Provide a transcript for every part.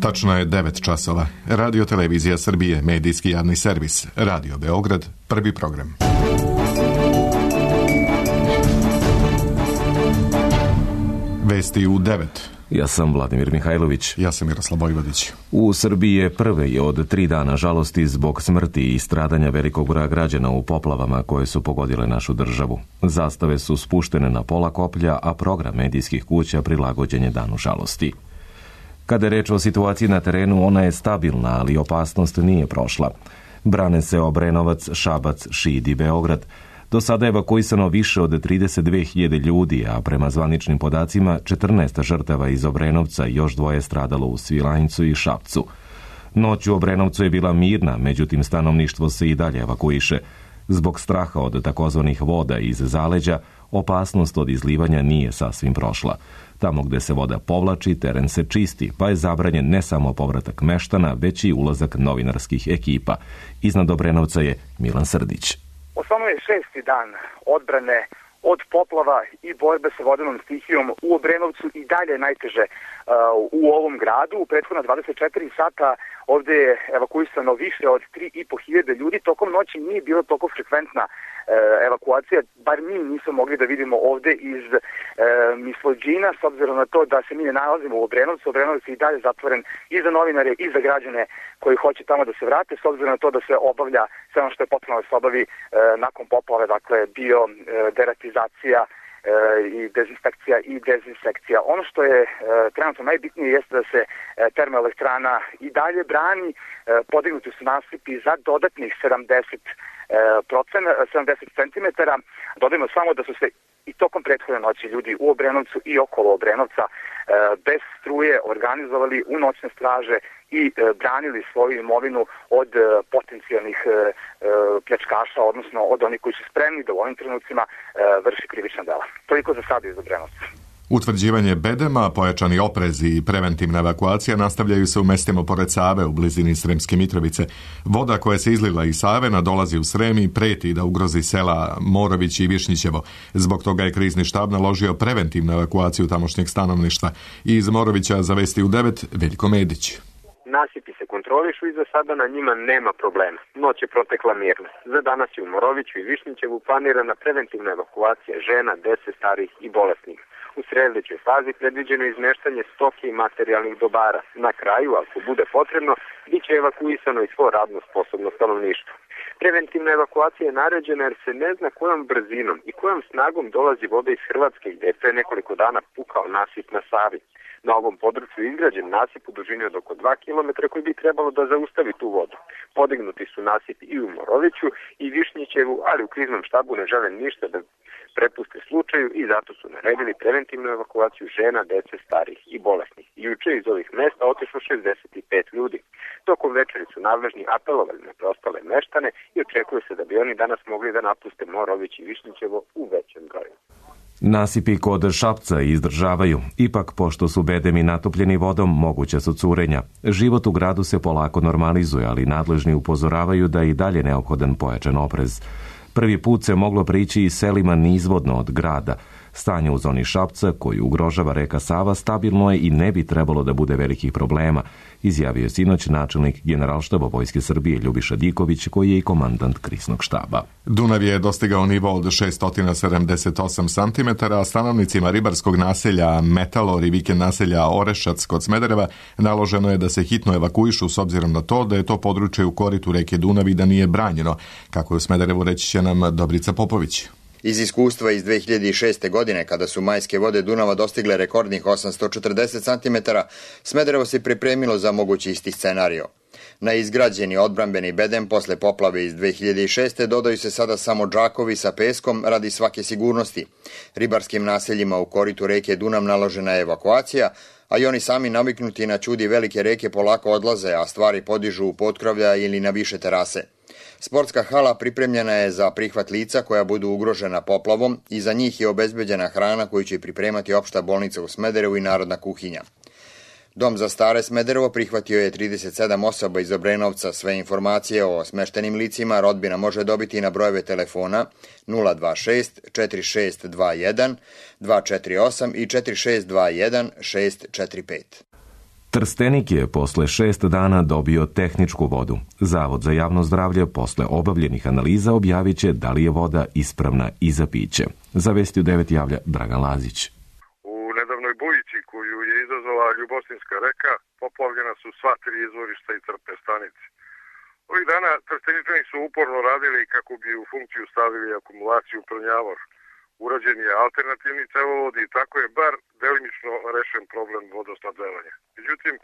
Tačno je 9 časova. Radio Televizija Srbije, medijski javni servis. Radio Beograd, prvi program. Vesti u 9. Ja sam Vladimir Mihajlović. Ja sam Miroslav Vojvodić. U Srbiji je prvi od 3 dana žalosti zbog smrti i stradanja velikog broja građana u poplavama koje su pogodile našu državu. Zastave su spuštene na pola koplja, a program medijskih kuća prilagođen je danu žalosti. Kada je reč o situaciji na terenu, ona je stabilna, ali opasnost nije prošla. Brane se Obrenovac, Šabac, Šid i Beograd. Do sada je evakuisano više od 32.000 ljudi, a prema zvaničnim podacima 14 žrtava iz Obrenovca i još 2 stradalo u Svilajncu i Šapcu. Noć u Obrenovcu je bila mirna, međutim stanovništvo se i dalje evakuiše. Zbog straha od takozvanih voda iz zaleđa, opasnost od izlivanja nije sasvim prošla. Tamo gde se voda povlači, teren se čisti, pa je zabranjen ne samo povratak meštana, već i ulazak novinarskih ekipa. Iznad Obrenovca je Milan Srdić. Osnovno je 6. dan odbrane od poplava i borbe sa vodenom stihijom u Obrenovcu i dalje najteže u ovom gradu. U prethodna 24 sata ovde je evakuisano više od 3.500 ljudi. Tokom noći nije bila toliko frekventna evakuacija, bar mi nismo mogli da vidimo ovde iz Mislođina, s obzirom na to da se mi ne nalazimo u Obrenovcu. Obrenovac je i dalje zatvoren i za novinare i za građane koji hoće tamo da se vrate, s obzirom na to da se obavlja sve ono što je potrebno da se obavi nakon poplave, dakle bio deratizacija i dezinfekcija i dezinsekcija. Ono što je trenutno najbitnije jeste da se termoelektrana i dalje brani, podignuti su nasipi za dodatnih 70 cm. Dodajmo samo da su se i tokom prethodne noći ljudi u Obrenovcu i okolo Obrenovca bez struje organizovali u noćne straže i branili svoju imovinu od potencijalnih pljačkaša, odnosno od onih koji su spremni da u ovim trenucima vrši krivična dela. Toliko za sada iz Obrenovca. Utvrđivanje bedema, pojačani oprez i preventivna evakuacija nastavljaju se u mestima pored Save u blizini Sremske Mitrovice. Voda koja se izlila iz Save nadolazi u Srem i preti da ugrozi sela Morović i Višnjićevo. Zbog toga je krizni štab naložio preventivnu evakuaciju tamošnjeg stanovništva. Iz Morovića za Vesti u 9, Veljko Medić. Nasipi se kontrolišu i za sada na njima nema problema. Noć je protekla mirno. Za danas je u Moroviću i Višnjićevu planirana preventivna evakuacija žena, dece, starih i bolesnih. U sledećoj fazi predviđeno izmeštanje stoke i materijalnih dobara. Na kraju, ako bude potrebno, bit će evakuisano i svo radno sposobno stanovništvo. Preventivna evakuacija je naređena jer se ne zna kojom brzinom i kojom snagom dolazi voda iz Hrvatske gde je pre nekoliko dana pukao nasip na Savi. Na ovom području je izgrađen nasip u dužini od oko 2 km koji bi trebalo da zaustavi tu vodu. Podignuti su nasipi i u Moroviću i Višnjićevu, ali u kriznom štabu ne žele ništa da prepuste slučaju i zato su naredili preventivnu evakuaciju žena, dece, starih i bolesnih. Juče iz ovih mesta otišlo 65 ljudi. Tokom večeri su nadležni apelovali na preostale meštane i očekuje se da bi oni danas mogli da napuste Morović i Višnjićevo u većem broju. Nasipi kod Šapca izdržavaju. Ipak, pošto su bedemi natopljeni vodom, moguća su curenja. Život u gradu se polako normalizuje, ali nadležni upozoravaju da je i dalje neophodan pojačan oprez. Prvi put se moglo prići i selima nizvodno od grada. Stanje u zoni Šapca, koju ugrožava reka Sava, stabilno je i ne bi trebalo da bude velikih problema, izjavio je sinoć načelnik Generalštaba Vojske Srbije Ljubiša Diković, koji je i komandant kriznog štaba. Dunav je dostigao nivo od 678 cm, a stanovnicima ribarskog naselja Metalor i vikend naselja Orešac kod Smedereva naloženo je da se hitno evakuišu s obzirom na to da je to područje u koritu reke Dunav i da nije branjeno, kako je u Smederevu reći će nam Dobrica Popović. Iz iskustva iz 2006. godine, kada su majske vode Dunava dostigle rekordnih 840 cm, Smederevo se pripremilo za mogući isti scenario. Na izgrađeni odbrambeni bedem posle poplave iz 2006. dodaju se sada samo džakovi sa peskom radi svake sigurnosti. Ribarskim naseljima u koritu reke Dunav naložena je evakuacija, a i oni sami naviknuti na čudi velike reke polako odlaze, a stvari podižu u potkrovlja ili na više terase. Sportska hala pripremljena je za prihvat lica koja budu ugrožena poplavom i za njih je obezbeđena hrana koju će pripremati opšta bolnica u Smederevu i narodna kuhinja. Dom za stare Smederevo prihvatio je 37 osoba iz Obrenovca. Sve informacije o smeštenim licima rodbina može dobiti na brojeve telefona 026 4621 248 i 4621 645. Trstenik je posle 6 dana dobio tehničku vodu. Zavod za javno zdravlje posle obavljenih analiza objavit će da li je voda ispravna i za piće. Za Vesti u 9 javlja Dragan Lazić. U nedavnoj bujici koju je izazvala Ljubostinska reka poplavljena su sva 3 izvorišta i crpne stanice. Ovih dana Trsteničani su uporno radili kako bi u funkciju stavili akumulaciju Prnjavor. Urađen je alternativni cevovod i tako je bar delimično rešen problem vodosnabdevanja. Međutim,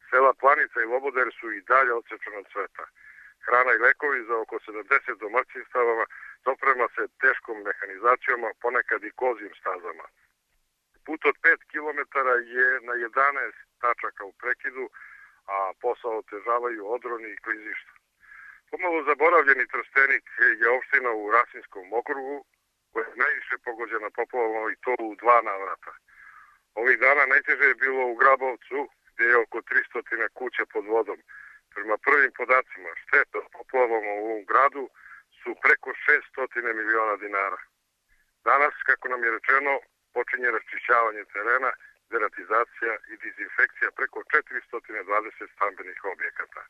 sela Planica i Loboder su i dalje odsečena od sveta. Hrana i lekovi za oko 70 domaćinstava doprema se teškom mehanizacijom, a ponekad i kozim stazama. Put od 5 km je na 11 tačaka u prekidu, a posao otežavaju odroni i klizišta. Pomalo zaboravljeni Trstenik je opština u Rasinskom okrugu, koja je najviše pogođena poplavama i to u 2 navrata. Ovih dana najteže je bilo u Grabovcu, gdje je oko 300 kuća pod vodom. Prema prvim podacima, štete od poplavama u ovom gradu su preko 600 miliona dinara. Danas, kako nam je rečeno, počinje raščišćavanje terena, deratizacija i dezinfekcija preko 420 stambenih objekata.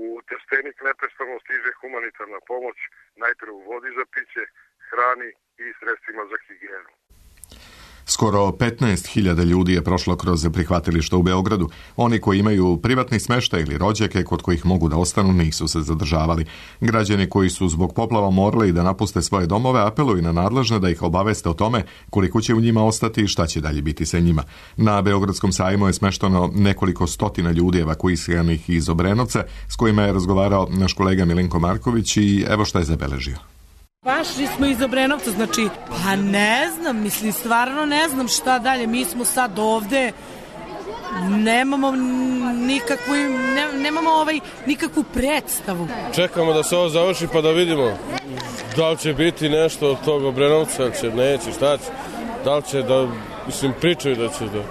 U Trstenik neprestano stiže humanitarna pomoć, najpre u vodi za piće, hrani i sredstvima za higijenu. Skoro 15.000 ljudi je prošlo kroz prihvatilište u Beogradu. Oni koji imaju privatni smeštaj ili rođake kod kojih mogu da ostanu nisu se zadržavali. Građani koji su zbog poplava morali da napuste svoje domove apeluju na nadležne da ih obaveste o tome koliko će u njima ostati i šta će dalje biti sa njima. Na Beogradskom sajmu je smešteno nekoliko stotina ljudi evakuiranih iz Obrenovca s kojima je razgovarao naš kolega Milenko Marković i evo šta je zabeležio. Pašli smo iz Obrenovca, znači, pa ne znam, stvarno ne znam šta dalje. Mi smo sad ovde, nemamo nikakvu predstavu. Čekamo da se ovo završi pa da vidimo da li će biti nešto od tog Obrenovca, će, neće, šta će, da li će da, pričaju da će da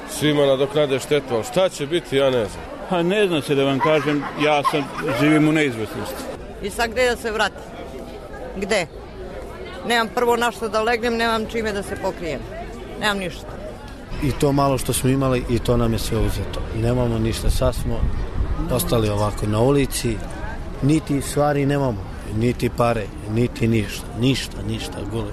svima nadoknade štetu, ali šta će biti, ja ne znam. Pa ne znam se da vam kažem, ja sad živim u neizvesnosti. I sad gde da se vrati? Gde? Nemam prvo na što da legnem, nemam čime da se pokrijem. Nemam ništa. I to malo što smo imali, i to nam je sve uzeto. Nemamo ništa, sad smo ostali ovako na ulici, niti stvari nemamo, niti pare, niti ništa, gule.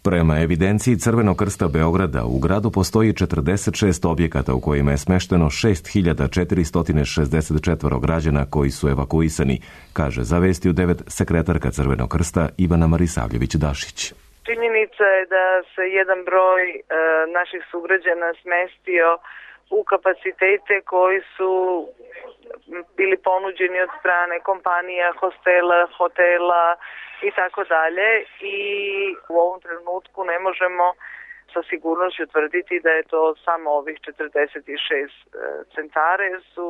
Prema evidenciji Crvenog krsta Beograda, u gradu postoji 46 objekata u kojima je smešteno 6.464 građana koji su evakuisani, kaže za Vesti u 9 sekretarka Crvenog krsta Ivana Marisavljević-Dašić. Činjenica je da se jedan broj naših sugrađana smestio u kapacitete koji su bili ponuđeni od strane kompanija, hotela i tako dalje, i u ovom trenutku ne možemo sa sigurnošću tvrditi da je to samo ovih 46 centara, jer su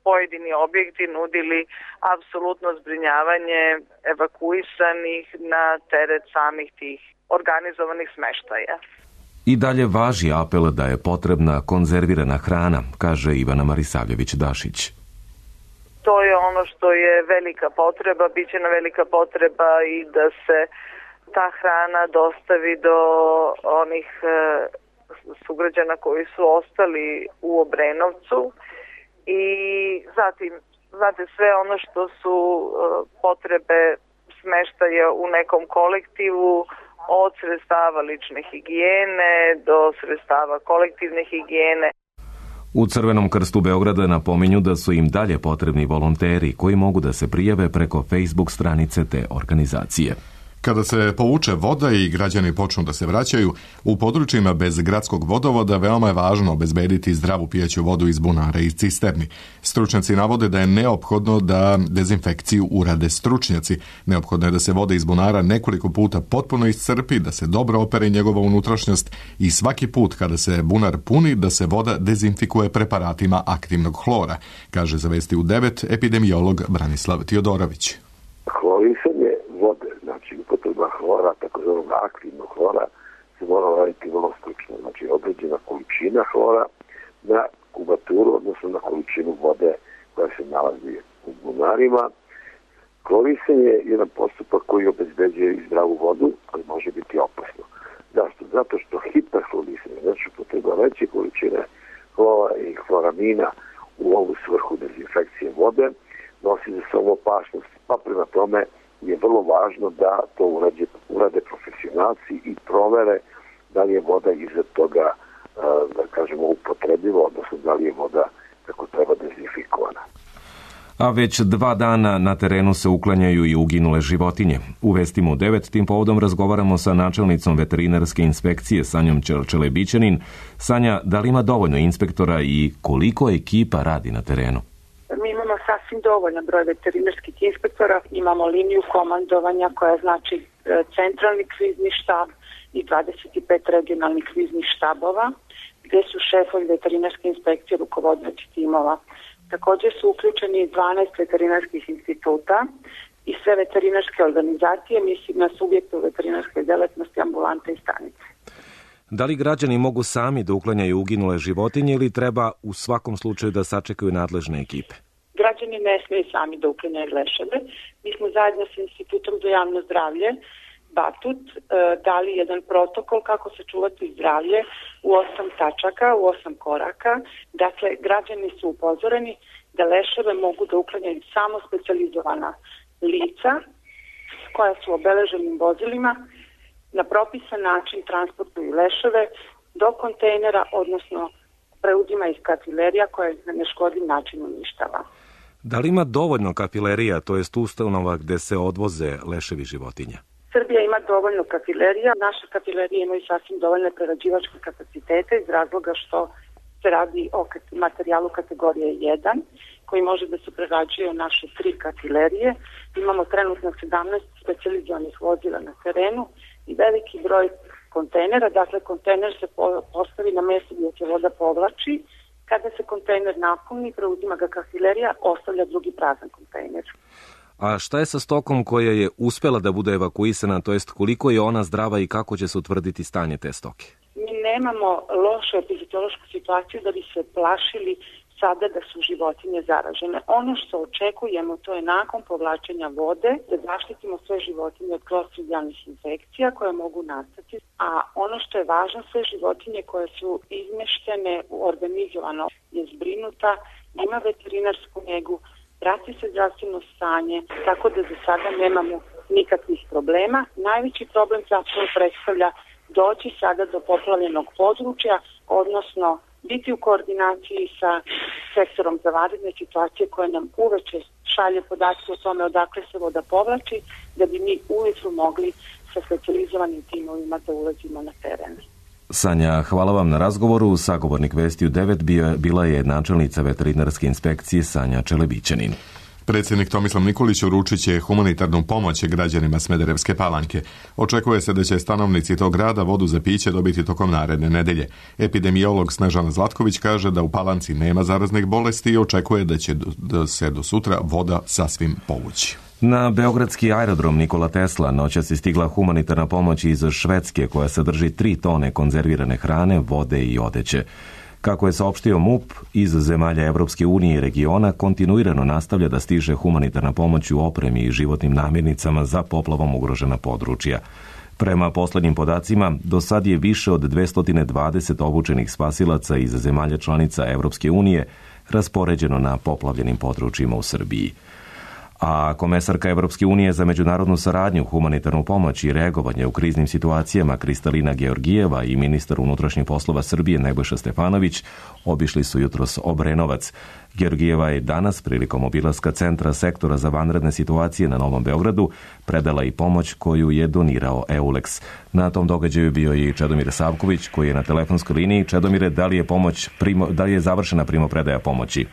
pojedini objekti nudili apsolutno zbrinjavanje evakuisanih na teret samih tih organizovanih smeštaja. I dalje važi apel da je potrebna konzervirana hrana, kaže Ivana Marisavljević-Dašić. To je ono što je velika potreba, bit će na velika potreba i da se ta hrana dostavi do onih sugrađana koji su ostali u Obrenovcu, i zatim, znate, sve ono što su potrebe smeštaja u nekom kolektivu, od sredstava lične higijene do sredstava kolektivne higijene. U Crvenom krstu Beograda napominju da su im dalje potrebni volonteri koji mogu da se prijave preko Facebook stranice te organizacije. Kada se povuče voda i građani počnu da se vraćaju, u područjima bez gradskog vodovoda veoma je važno obezbediti zdravu pijaću vodu iz bunara i cisterni. Stručnjaci navode da je neophodno da dezinfekciju urade stručnjaci. Neophodno je da se voda iz bunara nekoliko puta potpuno iscrpi, da se dobro opere njegova unutrašnjost i svaki put kada se bunar puni da se voda dezinfikuje preparatima aktivnog hlora, kaže za Vesti u 9 epidemiolog Branislav Tiodorović. Hlorisanje vode, znači upotreba hlora, takozvanog aktivnog hlora, se mora raditi vrlo stručno. Znači određena količina hlora na kubaturu, odnosno na količinu vode koja se nalazi u bunarima. Hlorisanje je jedan postupak koji obezbeđuje i zdravu vodu, ali može biti opasno. Zašto? Zato što hiperhlorisanje, znači upotreba veće količine hlora i hloramina u ovu svrhu dezinfekcije vode, nosi za sobom opasnost, pa prema tome je vrlo važno da to urade profesionalci i provere da li je voda iza toga, da kažemo, upotrebljiva, odnosno da li je voda kako treba dezinfikovana. A već 2 dana na terenu se uklanjaju i uginule životinje. U Vestima u 9 tim povodom razgovaramo sa načelnicom veterinarske inspekcije Sanjom Čelebićanin. Sanja, da li ima dovoljno inspektora i koliko ekipa radi na terenu? Mi imamo sasvim dovoljan broj veterinarskih inspektora, imamo liniju komandovanja koja znači centralni krizni štab i 25 regionalnih kriznih štabova, gdje su šefovi veterinarske inspekcije rukovodioci timova. Također su uključeni 12 veterinarskih instituta i sve veterinarske organizacije, mislim na subjekte u veterinarskoj djelatnosti, ambulante i stanice. Da li građani mogu sami da uklanjaju uginule životinje ili treba u svakom slučaju da sačekaju nadležne ekipe? Građani ne smiju sami da uklanjaju leševe. Mi smo zajedno sa Institutom za javno zdravlje Batut dali jedan protokol kako sačuvati zdravlje u 8 tačaka, u 8 koraka. Dakle, građani su upozoreni da leševe mogu da uklanjaju samo specijalizovana lica koja su obeleženim vozilima, na propisan način transportuju leševe do kontejnera, odnosno preuzima iz kafilerija koje na neškodljiv način uništava. Da li ima dovoljno kafilerija, to jest ustanova gde se odvoze leševi životinja? Srbija ima dovoljno kafilerija. Naše kafilerije imaju sasvim dovoljne prerađivačke kapacitete iz razloga što se radi o materijalu kategorije 1 koji može da se prerađuje u naše 3 kafilerije. Imamo trenutno 17 specijalizovanih vozila na terenu i veliki broj kontejnera. Dakle, kontejner se postavi na mjesto gdje se voda povlači. Kada se kontejner napuni, preuzima ga kafilerija, ostavlja drugi prazan kontejner. A šta je sa stokom koja je uspela da bude evakuisana, to jest koliko je ona zdrava i kako će se utvrditi stanje te stoke? Mi nemamo lošu epizotološku situaciju da bi se plašili sada da su životinje zaražene. Ono što očekujemo, to je nakon povlačenja vode, da zaštitimo sve životinje od klostridijalnih infekcija koje mogu nastati. A ono što je važno, sve životinje koje su izmeštene organizovano je zbrinuta, ima veterinarsku njegu, prati se zdravstveno stanje, tako da za sada nemamo nikakvih problema. Najveći problem zapravo predstavlja doći sada do poplavljenog područja, odnosno biti u koordinaciji sa sektorom za vanredne situacije koje nam uveče šalje podatke o tome odakle se voda povlači, da bi mi ujutru mogli sa specijalizovanim timovima da ulazimo na teren. Sanja, hvala vam na razgovoru. Sagovornik Vesti u 9 bila je načelnica veterinarske inspekcije Sanja Čelebićanin. Predsjednik Tomislav Nikolić uručit će humanitarnu pomoć građanima Smederevske Palanke. Očekuje se da će stanovnici tog grada vodu za piće dobiti tokom naredne nedelje. Epidemiolog Snežana Zlatković kaže da u Palanci nema zaraznih bolesti i očekuje da će se do sutra voda sasvim povući. Na beogradski aerodrom Nikola Tesla noćas je stigla humanitarna pomoć iz Švedske koja sadrži 3 tone konzervirane hrane, vode i odeće. Kako je saopštio MUP, iz zemalja Evropske unije i regiona kontinuirano nastavlja da stiže humanitarna pomoć u opremi i životnim namirnicama za poplavom ugrožena područja. Prema poslednjim podacima, do sad je više od 220 obučenih spasilaca iz zemalja članica Evropske unije raspoređeno na poplavljenim područjima u Srbiji. A komesarka Evropske unije za međunarodnu saradnju, humanitarnu pomoć i reagovanje u kriznim situacijama Kristalina Georgijeva i ministar unutrašnjih poslova Srbije Nebojša Stefanović obišli su jutros Obrenovac. Georgijeva je danas prilikom obilaska centra sektora za vanredne situacije na Novom Beogradu predala i pomoć koju je donirao EULEX. Na tom događaju bio i Čedomir Savković koji je na telefonskoj liniji. Čedomire, da li je završena primopredaja pomoći?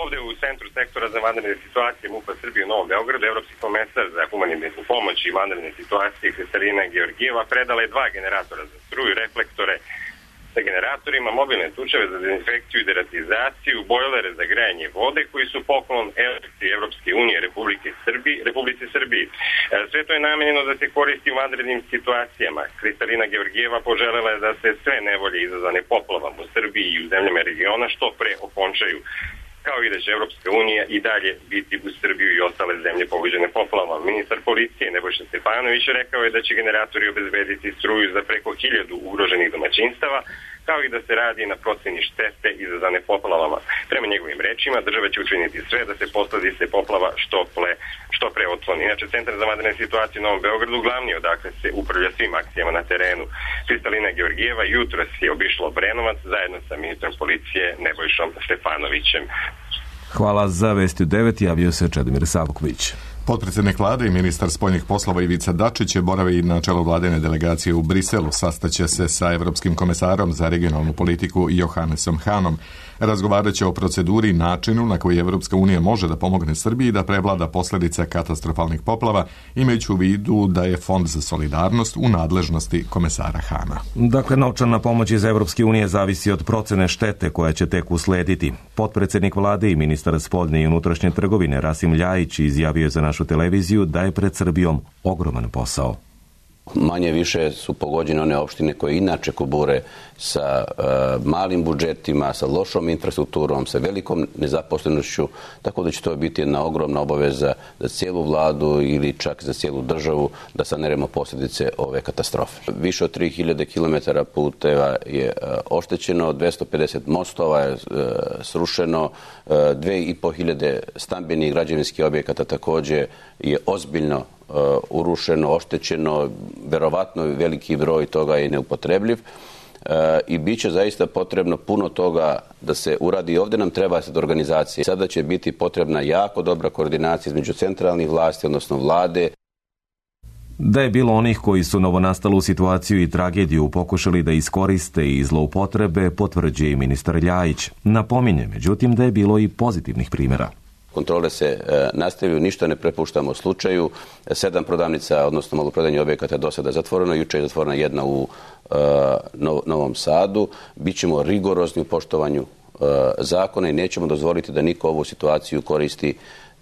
Ovde u centru sektora za vanredne situacije MUP-a Srbije u Novom Beogradu, evropski komesar za humanitarnu pomoć i vanredne situacije Kristalina Georgijeva predala je 2 generatora za struju, reflektore sa generatorima, mobilne tučeve za dezinfekciju i deratizaciju, bojlere za grejanje vode koji su poklon Evropske unije Republici Srbiji. Sve to je namenjeno da se koristi u vanrednim situacijama. Kristalina Georgijeva poželela je da se sve nevolje izazvane poplavom u Srbiji i u zemljama regiona što pre okončaju, kao i da će Evropska unija i dalje biti u Srbiju i ostale zemlje pogođene poplavom. Ministar policije Nebojša Stefanović rekao je da će generatori obezbediti struju za preko 1000 ugroženih domaćinstava, kao i da se radi na proceni štete izazvane poplavama. Prema njegovim rečima, država će učiniti sve da se posledice poplava što pre otkloni. Inače, Centar za vanredne situacije u Novom Beogradu glavni odakle se upravlja svim akcijama na terenu. Kristalina Georgijeva jutros je obišla Obrenovac zajedno sa ministrom policije Nebojšom Stefanovićem. Hvala. Za Vesti u 9 javio se Čedomir Savković. Potpredsjednik vlade i ministar spoljnih poslova Ivica Dačić boravi na čelu vladine delegacije u Briselu. Sastaće se sa Evropskim komesarom za regionalnu politiku Johannesom Hanom. Razgovarat će o proceduri i načinu na koji Evropska unija može da pomogne Srbiji da prevlada posljedice katastrofalnih poplava, imajući u vidu da je Fond za solidarnost u nadležnosti komesara Hana. Dakle, novčana pomoć iz Evropske unije zavisi od procene štete koja će tek uslediti. Potpredsjednik vlade i ministar spoljne i unutrašnje trgovine Rasim Ljajić izjavio je za našu televiziju da je pred Srbijom ogroman posao. Manje više su pogođene one opštine koje inače kubure sa malim budžetima, sa lošom infrastrukturom, sa velikom nezaposlenošću, tako da će to biti jedna ogromna obaveza za cijelu vladu ili čak za cijelu državu da saneremo posljedice ove katastrofe. Više od 3000 km puteva je oštećeno, 250 mostova je srušeno, 2500 stambenih građevinskih objekata također je ozbiljno urušeno, oštećeno, verovatno veliki broj toga je neupotrebljiv i bit će zaista potrebno puno toga da se uradi. Ovdje nam treba sad organizacija. Sada će biti potrebna jako dobra koordinacija između centralnih vlasti, odnosno vlade. Da je bilo onih koji su novonastalu situaciju i tragediju pokušali da iskoriste i zloupotrebe, potvrđuje i ministar Ljajić. Napominje, međutim, da je bilo i pozitivnih primjera. Kontrole se nastavljaju, ništa ne prepuštamo slučaju. 7 prodavnica, odnosno maloprodajnih objekata do sada zatvoreno. Juče je zatvorena jedna u Novom Sadu. Bićemo rigorozni u poštovanju zakona i nećemo dozvoliti da niko ovu situaciju koristi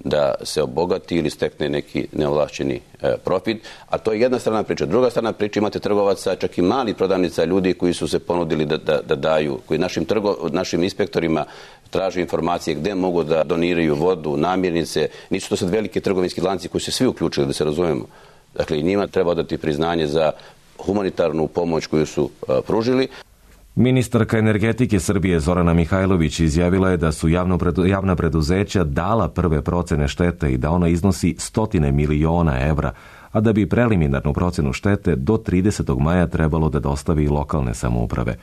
da se obogati ili stekne neki neovlašćeni profit. A to je jedna strana priča. Druga strana priča, imate trgovaca, čak i mali prodavnica, ljudi koji su se ponudili da daju, koji našim inspektorima traže informacije gdje mogu da doniraju vodu, namirnice. Nisu to sad veliki trgovinski lanci koji su svi uključili, da se razumemo. Dakle, i njima treba dati priznanje za humanitarnu pomoć koju su pružili. Ministarka energetike Srbije Zorana Mihajlović izjavila je da su javna preduzeća dala prve procene štete i da ona iznosi 100 miliona evra, a da bi preliminarnu procenu štete do 30. maja trebalo da dostavi i lokalne samouprave.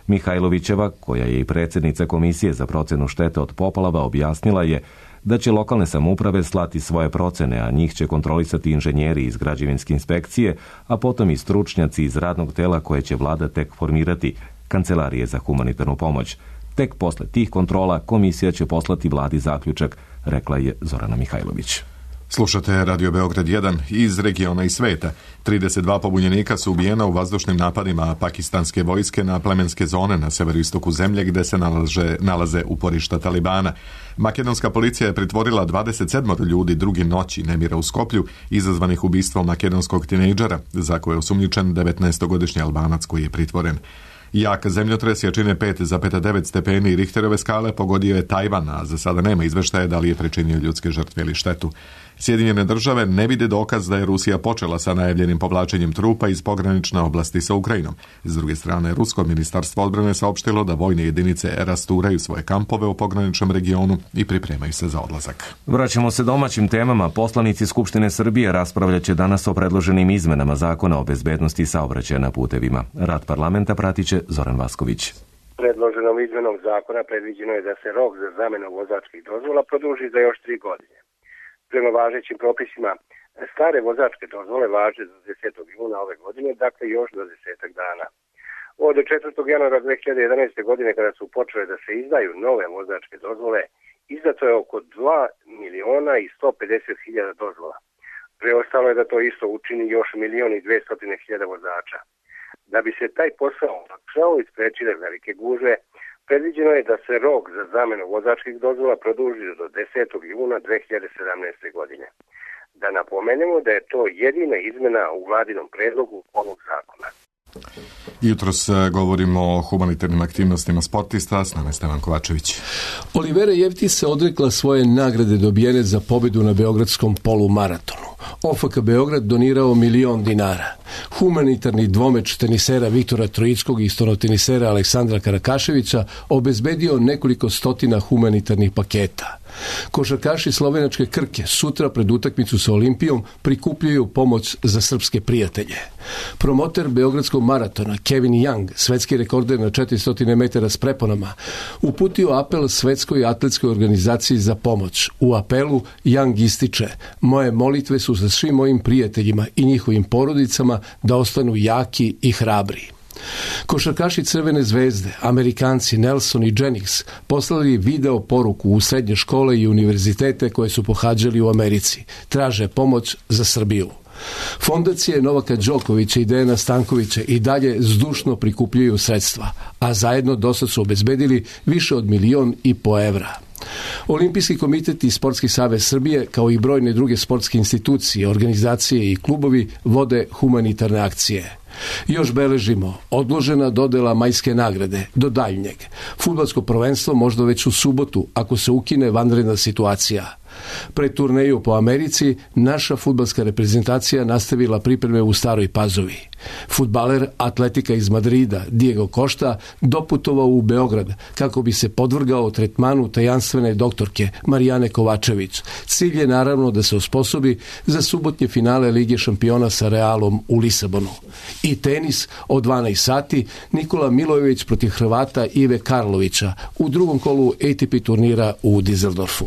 Mihajlovićeva, koja je i predsjednica Komisije za procenu štete od poplava, objasnila je da će lokalne samouprave slati svoje procene, a njih će kontrolisati inženjeri iz građevinske inspekcije, a potom i stručnjaci iz radnog tela koje će vlada tek formirati, Kancelarije za humanitarnu pomoć. Tek posle tih kontrola komisija će poslati vladi zaključak, rekla je Zorana Mihajlović. Slušate Radio Beograd 1 iz regiona i sveta. 32 pobunjenika su ubijena u vazdušnim napadima pakistanske vojske na plemenske zone na severoistoku zemlje gdje se nalaze uporišta Talibana. Makedonska policija je pritvorila 27 ljudi drugi noći nemira u Skoplju izazvanih ubistvom makedonskog tinejdžera za koje je osumnjičen 19-godišnji Albanac koji je pritvoren. Jak zemljotres jačine 5,9 stepeni Richterove skale pogodio je Tajvan, a za sada nema izveštaja da li je pričinio ljudske žrtve ili štetu. Sjedinjene države ne vide dokaz da je Rusija počela sa najavljenim povlačenjem trupa iz pogranične oblasti sa Ukrajinom. S druge strane, Rusko ministarstvo odbrane saopštilo da vojne jedinice rasturaju svoje kampove u pograničnom regionu i pripremaju se za odlazak. Vraćamo se domaćim temama. Poslanici Skupštine Srbije raspravljaće danas o predloženim izmenama zakona o bezbednosti saobraćaja na putevima. Rad parlamenta pratiće Zoran Vasković. Predloženom izmenom zakona predviđeno je da se rok za zamjenu vozačkih dozvola produži za još 3 godine. Prema važećim propisima, stare vozačke dozvole važe do 10. juna ove godine, dakle još do 10 dana. Od 4. januara 2011. godine, kada su počele da se izdaju nove vozačke dozvole, izdato je oko 2.150.000 dozvola. Preostalo je da to isto učini još 1.200.000 vozača. Da bi se taj posao olakšao i sprečile velike gužve, predviđeno je da se rok za zamjenu vozačkih dozvola produži do 10. juna 2017. godine. Da napomenemo da je to jedina izmena u vladinom predlogu ovog zakona. Jutros govorimo o humanitarnim aktivnostima sportista, s nama je Stevan Kovačević. Olivera Jevtić se odrekla svoje nagrade dobijene za pobedu na beogradskom polumaratonu. OFK Beograd donirao $1.000.000 dinara. Humanitarni dvomeč tenisera Viktora Trojickog i stonotenisera Aleksandra Karakaševića obezbedio nekoliko stotina humanitarnih paketa. Košarkaši slovenačke Krke sutra pred utakmicu sa Olimpijom prikupljaju pomoć za srpske prijatelje. Promoter Beogradskog maratona Kevin Young, svetski rekorder na 400 metara s preponama, uputio apel Svetskoj atletskoj organizaciji za pomoć. U apelu Young ističe: moje molitve su za svim mojim prijateljima i njihovim porodicama da ostanu jaki i hrabri. Košarkaši Crvene zvezde, Amerikanci Nelson i Jennings, poslali video poruku u srednje škole i univerzitete koje su pohađali u Americi. Traže pomoć za Srbiju. Fondacije Novaka Đokovića i Dejana Stankovića i dalje zdušno prikupljaju sredstva, a zajedno dosad su obezbedili više od 1,5 miliona evra. Olimpijski komitet i Sportski savez Srbije, kao i brojne druge sportske institucije, organizacije i klubovi vode humanitarne akcije. Još beležimo odložena dodela majske nagrade do daljnjeg. Fudbalsko prvenstvo možda već u subotu ako se ukine vanredna situacija. Pred turneju po Americi naša fudbalska reprezentacija nastavila pripreme u Staroj Pazovi. Fudbaler atletika iz Madrida Diego Costa doputovao u Beograd kako bi se podvrgao tretmanu tajanstvene doktorke Marijane Kovačević. Cilj je naravno da se osposobi za subotnje finale Lige šampiona sa Realom u Lisabonu. I tenis od 12 sati, Nikola Milojević protiv Hrvata Ive Karlovića u drugom kolu ATP turnira u Dizeldorfu.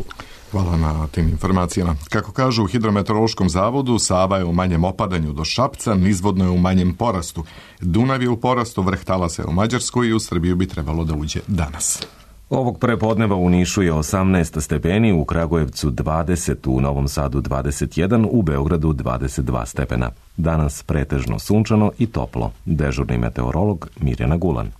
Hvala na tim informacijama. Kako kažu u Hidrometeorološkom zavodu, Sava je u manjem opadanju do Šapca, nizvodno je u manjem porastu. Dunav je u porastu, vrh talasa je u Mađarskoj i u Srbiju bi trebalo da uđe danas. Ovog prepodneva u Nišu je 18 stepeni, u Kragujevcu 20, u Novom Sadu 21, u Beogradu 22 stepena. Danas pretežno sunčano i toplo. Dežurni meteorolog Mirjana Gulan.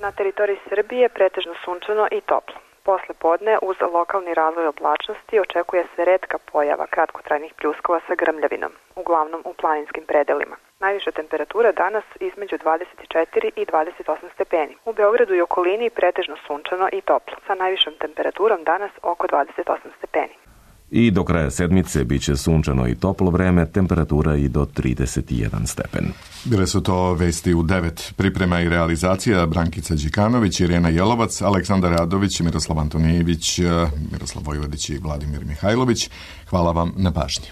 Na teritoriji Srbije pretežno sunčano i toplo. Posle podne uz lokalni razvoj oblačnosti očekuje se retka pojava kratkotrajnih pljuskova sa grmljavinom, uglavnom u planinskim predelima. Najviša temperatura danas između 24 i 28 stepeni. U Beogradu i okolini pretežno sunčano i toplo, sa najvišom temperaturom danas oko 28 stepeni. I do kraja sedmice bit će sunčano i toplo vreme, temperatura i do 31 stepen. Bile su to vesti u 9. Priprema i realizacija Brankica Đikanović, Irena Jelovac, Aleksandar Radović, Miroslav Antonijević, Miroslav Vojvodić i Vladimir Mihajlović. Hvala vam na pažnji.